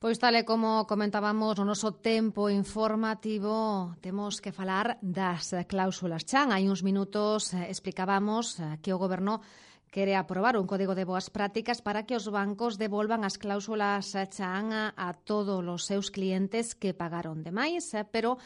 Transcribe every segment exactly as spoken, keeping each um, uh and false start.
Pois tal e como comentábamos no noso tempo informativo, temos que falar das cláusulas chan. Hai uns minutos eh, explicábamos eh, que o Goberno quere aprobar un código de boas prácticas para que os bancos devolvan as cláusulas chan a, a todos os seus clientes que pagaron de máis, eh, pero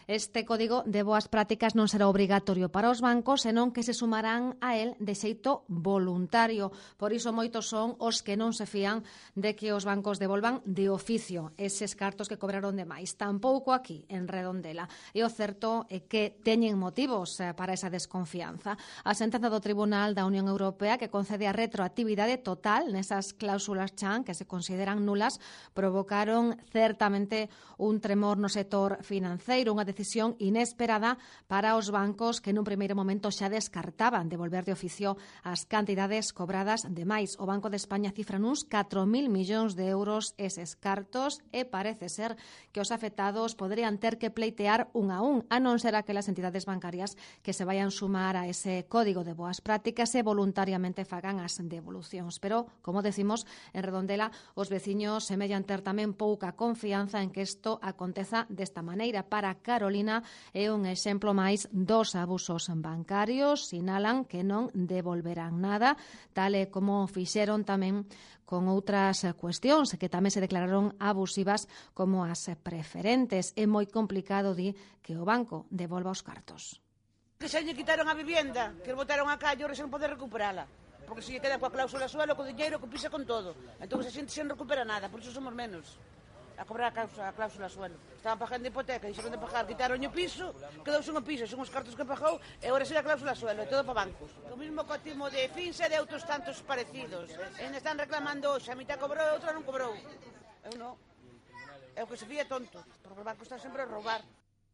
este código de boas prácticas non será obrigatorio para os bancos, senón que se sumarán a él de xeito voluntario. Por iso moitos son os que non se fían de que os bancos devolvan de oficio eses cartos que cobraron de máis. Tampouco aquí, en Redondela. E o certo é que teñen motivos para esa desconfianza. A sentenza do Tribunal da Unión Europea que concede a retroactividade total nesas cláusulas chan que se consideran nulas provocaron certamente un tremor no sector financeiro, unha decisión inesperada para os bancos que nun primeiro momento xa descartaban devolver de oficio as cantidades cobradas de máis. O Banco de España cifra nuns catro mil millóns de euros eses cartos e parece ser que os afectados poderían ter que pleitear un a un, a non ser aquelas entidades bancarias que se vayan sumar a ese código de boas prácticas e voluntariamente fagan as devolucións. Pero, como decimos, en Redondela os veciños semellan ter tamén pouca confianza en que isto aconteza desta maneira. Para Carolina é un exemplo máis dos abusos bancarios, sinalan que non devolverán nada, tal e como fixeron tamén con outras cuestións que tamén se declararon abusivas como as preferentes. É moi complicado, di, que o banco devolva os cartos. Que xa lle quitaron a vivienda, que botaron a calle, ora xa non pode recuperala. Porque se lle queda coa cláusula suelo, co diñeiro, que pisa con todo. Entón a xente xa non recupera nada, por iso somos menos a cobrar a cláusula, a cláusula suelo. Estaban pagando hipoteca, dixeron de pagar, quitaron o piso, quedouse un piso, son os cartos que pagou, e agora será a cláusula suelo, e todo para bancos. O mismo cotimo de Finsa e de outros tantos parecidos. E están reclamando hoxe, a mitad cobrou e outra non cobrou. Eu non. É o que se fía tonto, porque o banco está sempre a roubar.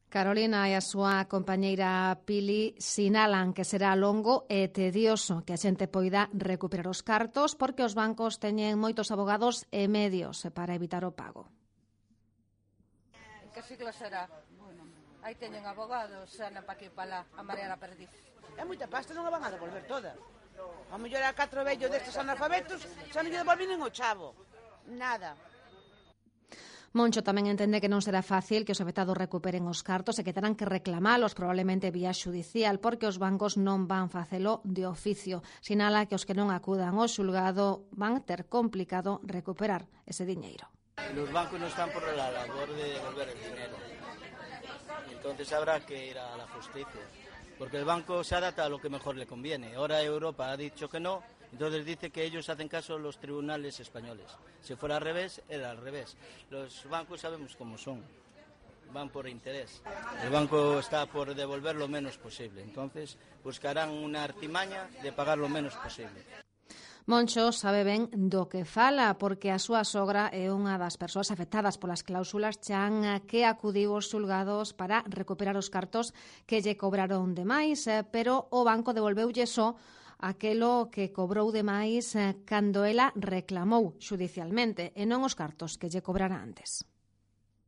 Carolina e a súa compañeira Pili sinalan que será longo e tedioso que a xente poida recuperar os cartos porque os bancos teñen moitos abogados e medios para evitar o pago. Que siglo será? Bueno, aí teñen abogados, xa na pa aquí pa lá, a marear a perdiz. É moita pasta, non a van a devolver toda. A mellor a catro vellos destes analfabetos xa non lle devolven nin o chavo. Nada. Moncho tamén entende que non será fácil que os afectados recuperen os cartos e que terán que reclamalos probablemente vía xudicial porque os bancos non van facelo de oficio. Sinala que os que non acudan ao xulgado van ter complicado recuperar ese diñeiro. Los bancos no están por la labor de devolver el dinero. Entonces habrá que ir a la justicia. Porque el banco se adapta a lo que mejor le conviene. Ahora Europa ha dicho que no, entonces dice que ellos hacen caso a los tribunales españoles. Si fuera al revés, era al revés. Los bancos sabemos cómo son. Van por interés. El banco está por devolver lo menos posible. Entonces buscarán una artimaña de pagar lo menos posible. Moncho sabe ben do que fala porque a súa sogra é unha das persoas afectadas polas cláusulas chan que acudiu aos xulgados para recuperar os cartos que lle cobraron de máis, pero o banco devolveulle só aquelo que cobrou de máis cando ela reclamou xudicialmente e non os cartos que lle cobrara antes.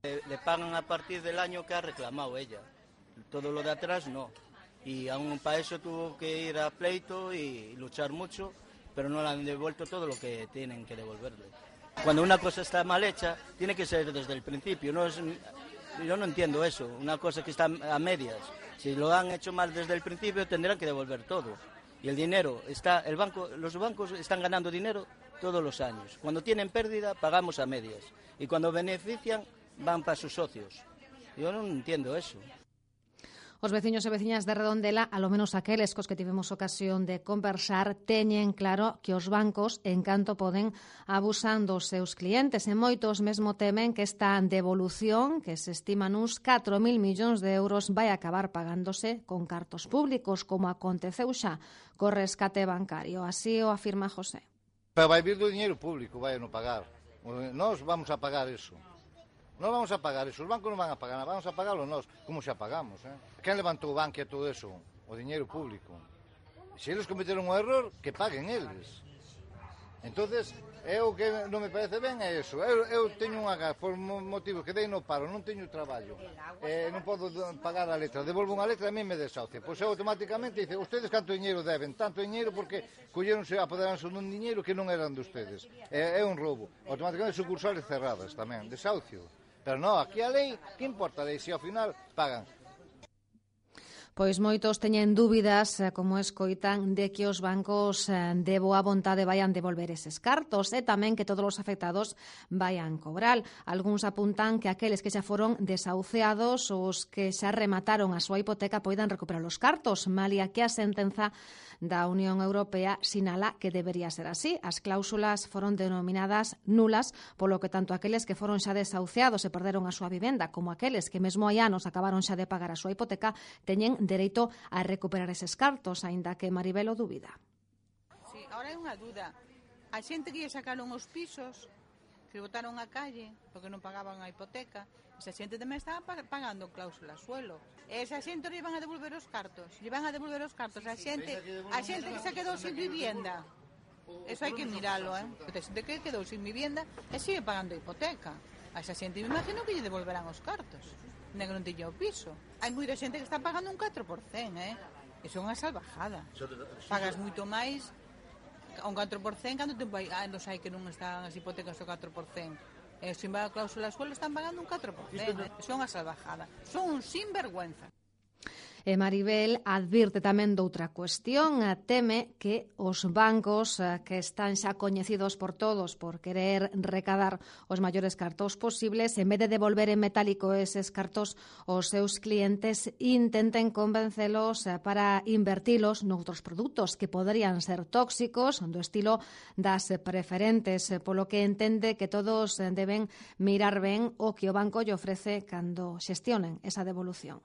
Le, le pagan a partir del año que ha reclamado ella. Todo lo de atrás no. Y aún para eso tuvo que ir a pleito y luchar mucho, pero no le han devuelto todo lo que tienen que devolverle. Cuando una cosa está mal hecha, tiene que ser desde el principio. No es, yo no entiendo eso, una cosa que está a medias. Si lo han hecho mal desde el principio, tendrán que devolver todo. Y el dinero está, el banco, los bancos están ganando dinero todos los años. Cuando tienen pérdida, pagamos a medias. Y cuando benefician, van para sus socios. Yo no entiendo eso. Os veciños e veciñas de Redondela, alo menos aqueles cos que tivemos ocasión de conversar, teñen claro que os bancos, en canto poden, abusan dos seus clientes e moitos mesmo temen que esta devolución, que se estima nuns catro mil millóns de euros, vai acabar pagándose con cartos públicos, como aconteceu xa co rescate bancario. Así o afirma José. Pero vai vir do dinheiro público, vai non pagar. Nós vamos a pagar eso. Non vamos a pagar eso, os bancos non van a pagar, vamos a pagarlo nós, como xa pagamos, eh? Quen levantou o banco e todo eso? O diñeiro público. Se eles cometeron un error, que paguen eles. Entonces, eu que non me parece ben é eso. Eu, eu teño unha gas por motivos que dei no paro, non teño traballo. Eh, non podo pagar a letra. Devolvo unha letra e a mí me desahucia. Pois eu automáticamente dice, ustedes canto diñeiro deben? Tanto diñeiro porque colleronse, apoderanse dun diñeiro que non eran de ustedes. É, é un roubo. Automáticamente sucursales cerradas tamén, desahucio. Pero non, aquí a lei, que importa a lei? Se ao final pagan. Pois moitos teñen dúbidas, como escoitan, de que os bancos de boa vontade vayan devolver eses cartos e tamén que todos os afectados vayan cobrar. Algúns apuntan que aqueles que xa foron desahuciados, os que xa remataron a súa hipoteca, poidan recuperar os cartos, malia que a sentenza da Unión Europea sinala que debería ser así. As cláusulas foron denominadas nulas, polo que tanto aqueles que foron xa desahuciados e perderon a súa vivenda, como aqueles que mesmo hai anos acabaron xa de pagar a súa hipoteca, teñen dereito a recuperar eses cartos, aínda que Maribel o dúbida. Sí, ahora é unha dúda. A xente que lle sacaron os pisos, que botaron a calle, porque non pagaban a hipoteca, esa xente tamén estaba pagando cláusula suelo. E esa xente lle van a devolver os cartos. Lle van a devolver os cartos. A xente, a xente que se quedou sin vivienda. Eso hai que miralo, eh? A xente que quedou sin vivienda e sigue pagando a hipoteca. A esa xente me imagino que lle devolverán os cartos. Nem que non tiña o piso. Hai moita xente que está pagando un catro por cento, eh? Iso é unha salvajada. Pagas moito máis a un catro por cento cando tempo hai anos hai que non están as hipotecas ao catro por cento. E se vai a cláusula suelo están pagando un catro por cento. Iso é unha salvajada. Son un sinvergüenza. E Maribel advirte tamén doutra cuestión, teme que os bancos que están xa coñecidos por todos por querer recadar os maiores cartos posibles, en vez de devolver en metálico eses cartos, os seus clientes intenten convencelos para invertilos noutros produtos que poderían ser tóxicos, do estilo das preferentes, polo que entende que todos deben mirar ben o que o banco lle ofrece cando xestionen esa devolución.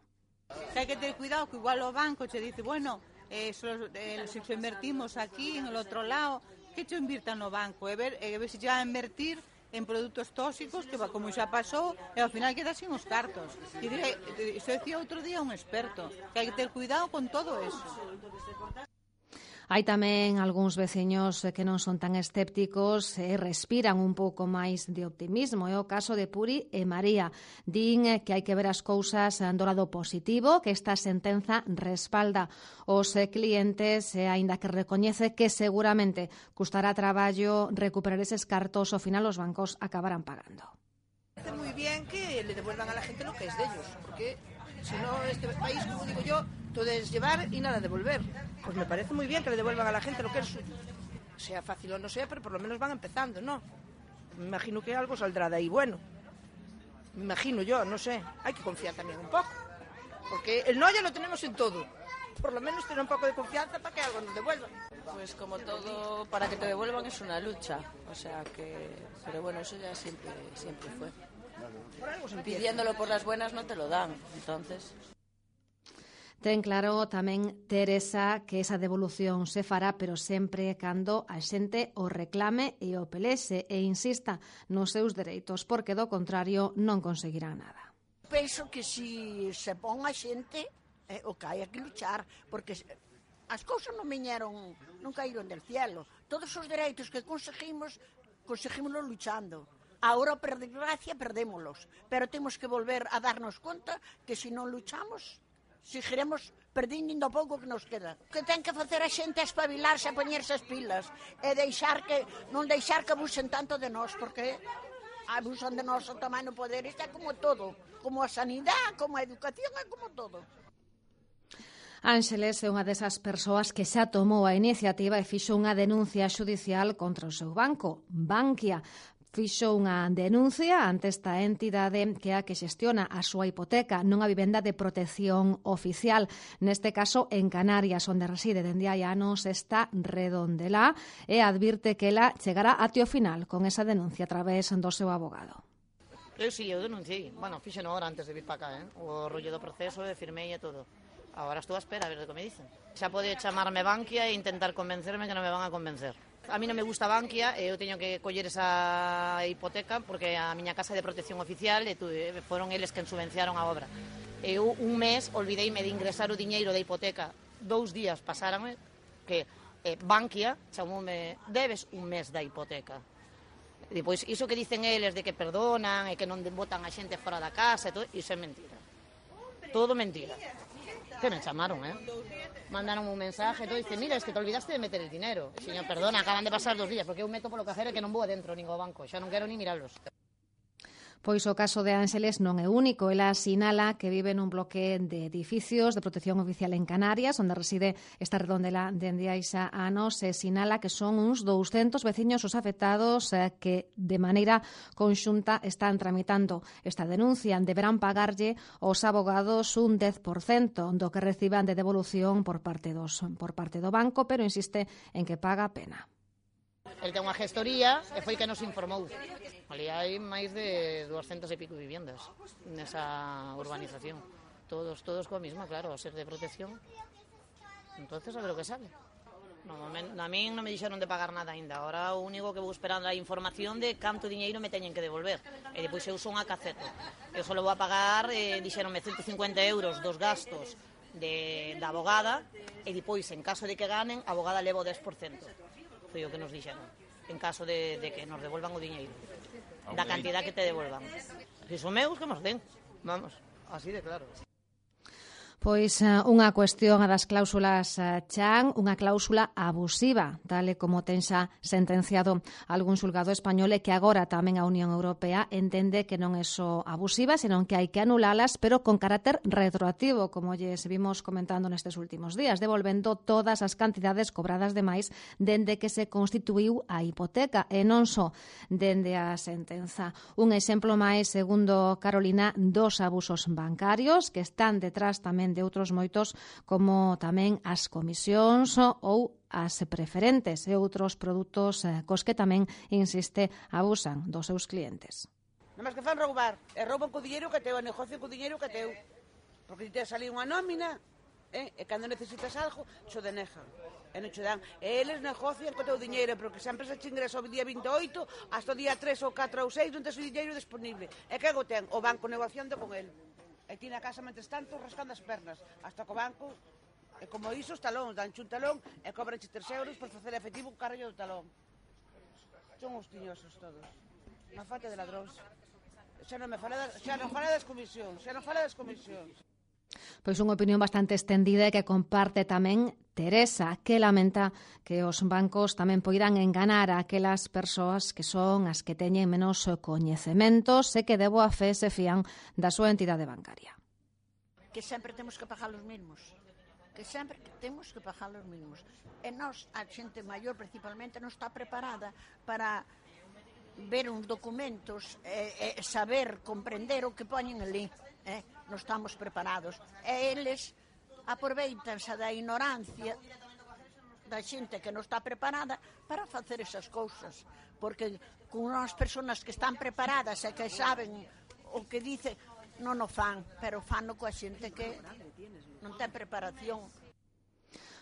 Hai que ter cuidado que igual o banco che dice, bueno, eh, so, eh, se so invertimos aquí en el outro lado, que che invirtan no banco, e ver, e ver se xa a invertir en produtos tóxicos, que como xa pasou, e ao final queda sin os cartos. E direi, iso decía outro día un experto, que hai que ter cuidado con todo eso. Hai tamén algúns veciños que non son tan escépticos e respiran un pouco máis de optimismo. É o caso de Puri e María. Din que hai que ver as cousas do lado positivo, que esta sentenza respalda os clientes e aínda que recoñece que seguramente custará traballo recuperar eses cartos, ao final os bancos acabarán pagando. Parece muy bien que le devuelvan a la gente lo que es de ellos, porque si no este país, como digo yo, todo es llevar y nada devolver. Pues me parece muy bien que le devuelvan a la gente lo que es suyo. Sea fácil o no sea, pero por lo menos van empezando, ¿no? Me imagino que algo saldrá de ahí bueno. Me imagino yo, no sé. Hay que confiar también un poco. Porque el no ya lo tenemos en todo. Por lo menos tener un poco de confianza para que algo nos devuelvan. Pues como todo, para que te devuelvan es una lucha. O sea que... Pero bueno, eso ya siempre, siempre fue. Por Pidiéndolo por las buenas no te lo dan, entonces... Ten claro tamén Teresa que esa devolución se fará, pero sempre cando a xente o reclame e o pelexe e insista nos seus dereitos, porque do contrario non conseguirá nada. Penso que si se pon a xente, eh, o que hai que luchar, porque as cousas non viñeron, non caíron del cielo. Todos os dereitos que conseguimos, conseguímoslos luchando. Ahora, por desgracia, perdémolos, pero temos que volver a darnos conta que se non luchamos, seguiremos perdindo o pouco que nos queda. Que ten que facer a xente espabilarse, a poñerse as pilas e deixar que, non deixar que abusen tanto de nós, porque abusan de nós o tamaño poder. Isto é como todo, como a sanidade, como a educación, é como todo. Ángeles é unha desas persoas que xa tomou a iniciativa e fixo unha denuncia xudicial contra o seu banco, Bankia. Fixo unha denuncia ante esta entidade que é a que xestiona a súa hipoteca nunha vivenda de protección oficial, neste caso en Canarias, onde reside dende hai anos esta Redondelá, e advirte que ela chegará até o final con esa denuncia a través do seu abogado. Eu si, eu denunciei. Bueno, fixo no hora antes de vir para cá, eh? O rollo do proceso, e firmei e todo. Agora estou a espera a ver o que me dicen. Xa pode chamarme Bankia e intentar convencerme que non me van a convencer. A mí non me gusta Bankia e eu teño que coller esa hipoteca porque a miña casa é de protección oficial e foron eles quen subvenciaron a obra. Eu un mes olvideime de ingresar o diñeiro da hipoteca, dous días pasáranme que E Bankia chamoume, debes un mes da hipoteca. E depois, iso que dicen eles de que perdonan e que non botan a xente fora da casa, e todo, iso é mentira. Todo mentira. Que me chamaron, eh? Mandaron un mensaje, todo, dice, mira, es que te olvidaste de meter el dinero. E, señor, perdona, acaban de pasar dos días, porque eu meto polo cajero e que non vou adentro, nin ao banco, xa non quero ni miralos. Pois o caso de Ángeles non é único. Ela sinala que vive nun bloque de edificios de protección oficial en Canarias, onde reside esta redondela dende hai xa anos, e sinala que son uns douscentos veciños os afectados eh, que de maneira conxunta están tramitando esta denuncia. Deberán pagarlle aos abogados un dez por cento do que reciban de devolución por parte dos por parte do banco, pero insiste en que paga a pena. El ten unha gestoría e foi que nos informou. Ali hai máis de doscientas e pico viviendas nesa urbanización. Todos, todos coa mesma, claro, a ser de protección. Entonces, a ver o que sale. No, a mí non me dixeron de pagar nada ainda. Ahora o único que vou esperando é a información de canto diñeiro me teñen que devolver. E depois eu son a caceto. Eu só vou a pagar, eh, dixeronme ciento cincuenta euros dos gastos de, da abogada, e depois, en caso de que ganen, a abogada leva o dez por cento. Foi o que nos dixeron, en caso de, de que nos devolvan o diñeiro, da cantidad que te devolvan. Se son meus, que nos den, vamos, así de claro. Pois unha cuestión a das cláusulas chan, unha cláusula abusiva, tal e como ten xa sentenciado algún xulgado español, e que agora tamén a Unión Europea entende que non é só abusiva, senón que hai que anulalas, pero con carácter retroactivo, como lles vimos comentando nestes últimos días, devolvendo todas as cantidades cobradas de máis dende que se constituíu a hipoteca, e non só dende a sentenza. Un exemplo máis, segundo Carolina, dos abusos bancarios que están detrás tamén de outros moitos, como tamén as comisións ou as preferentes e outros produtos cos que tamén, insiste, abusan dos seus clientes. Nada máis que fan roubar, e rouban co diñeiro que teu, e negocian co diñeiro que teu. Porque te saliu unha nómina, eh, e cando necesitas algo, xo denejan, e non xo dan. E eles negocian co teu diñeiro, porque se a empresa che ingresa o día vinte e oito, hasta o día tres ou catro ou seis non tes o diñeiro disponible. E que go ten? O banco negociando con el. E ti na casa, mentres tanto, rascando as pernas. Hasta co banco, e como iso, os talóns, danche un talón e cobranche tres euros por facer efectivo un carrillo do talón. Son os tiñosos todos. Unha falta de ladróns. Xa non me fala das, xa non fala das comisións, xa non fala das comisións. Pois unha opinión bastante extendida e que comparte tamén Teresa, que lamenta que os bancos tamén poidan enganar a aquelas persoas que son as que teñen menos coñecementos e que de boa fe se fían da súa entidade bancaria. Que sempre temos que pagar os mesmos. Que sempre temos que pagar os mesmos. E nós, a xente maior principalmente, non está preparada para ver uns documentos e, e saber comprender o que poñen ali. Eh? Non estamos preparados. E eles aproveitanse da ignorancia da xente que non está preparada para facer esas cousas. Porque con unhas persoas que están preparadas e que saben o que dice, non o fan, pero fano coa xente que non ten preparación.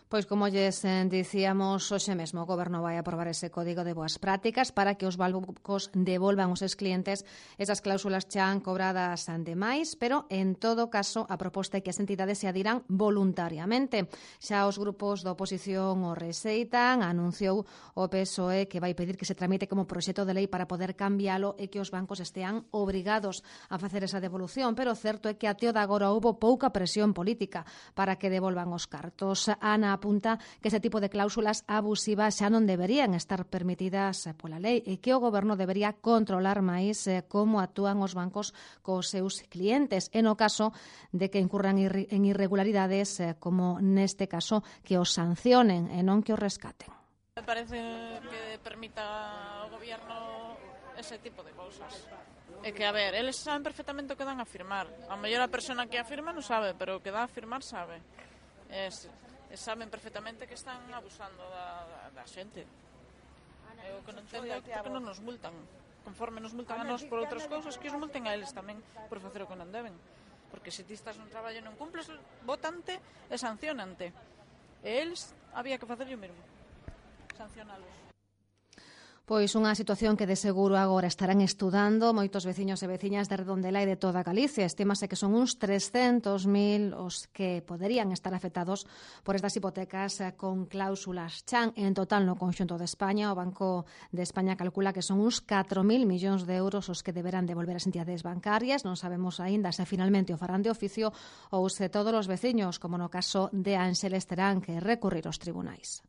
Pois como lles dicíamos, hoxe mesmo o Goberno vai aprobar ese código de boas prácticas para que os bancos devolvan aos seus clientes esas cláusulas chan cobradas de máis, pero en todo caso a proposta é que as entidades se adiran voluntariamente. Xa os grupos da oposición o rexeitan, anunciou o P S O E que vai pedir que se tramite como proxecto de lei para poder cambialo e que os bancos estean obrigados a facer esa devolución, pero o certo é que até o de agora houbo pouca presión política para que devolvan os cartos. Ana apunta que ese tipo de cláusulas abusivas xa non deberían estar permitidas pola lei e que o Goberno debería controlar máis como actúan os bancos cos seus clientes e no caso de que incurran en irregularidades, como neste caso, que os sancionen e non que os rescaten. Me parece que permita ao Goberno ese tipo de cousas. É que, a ver, eles saben perfectamente o que dan a firmar. A mellor a persona que afirma non sabe, pero o que dá a firmar sabe. Es... saben perfectamente que están abusando da, da, da xente. Eu que non entendo é porque non nos multan. Conforme nos multan a nós por outras cousas, que os multen a eles tamén por facer o que non deben. Porque se ti estás nun traballo e non cumples, votante e sancionante. E eles había que facer o mesmo. Sancionalos. Pois unha situación que de seguro agora estarán estudando moitos veciños e veciñas de Redondela e de toda Galicia. Estímase que son uns trescentos mil os que poderían estar afectados por estas hipotecas con cláusulas chan. En total, no conxunto de España, o Banco de España calcula que son uns catro mil millóns de euros os que deberán devolver as entidades bancarias. Non sabemos aínda se finalmente o farán de oficio ou se todos os veciños, como no caso de Ánxeles, terán que recurrir aos tribunais.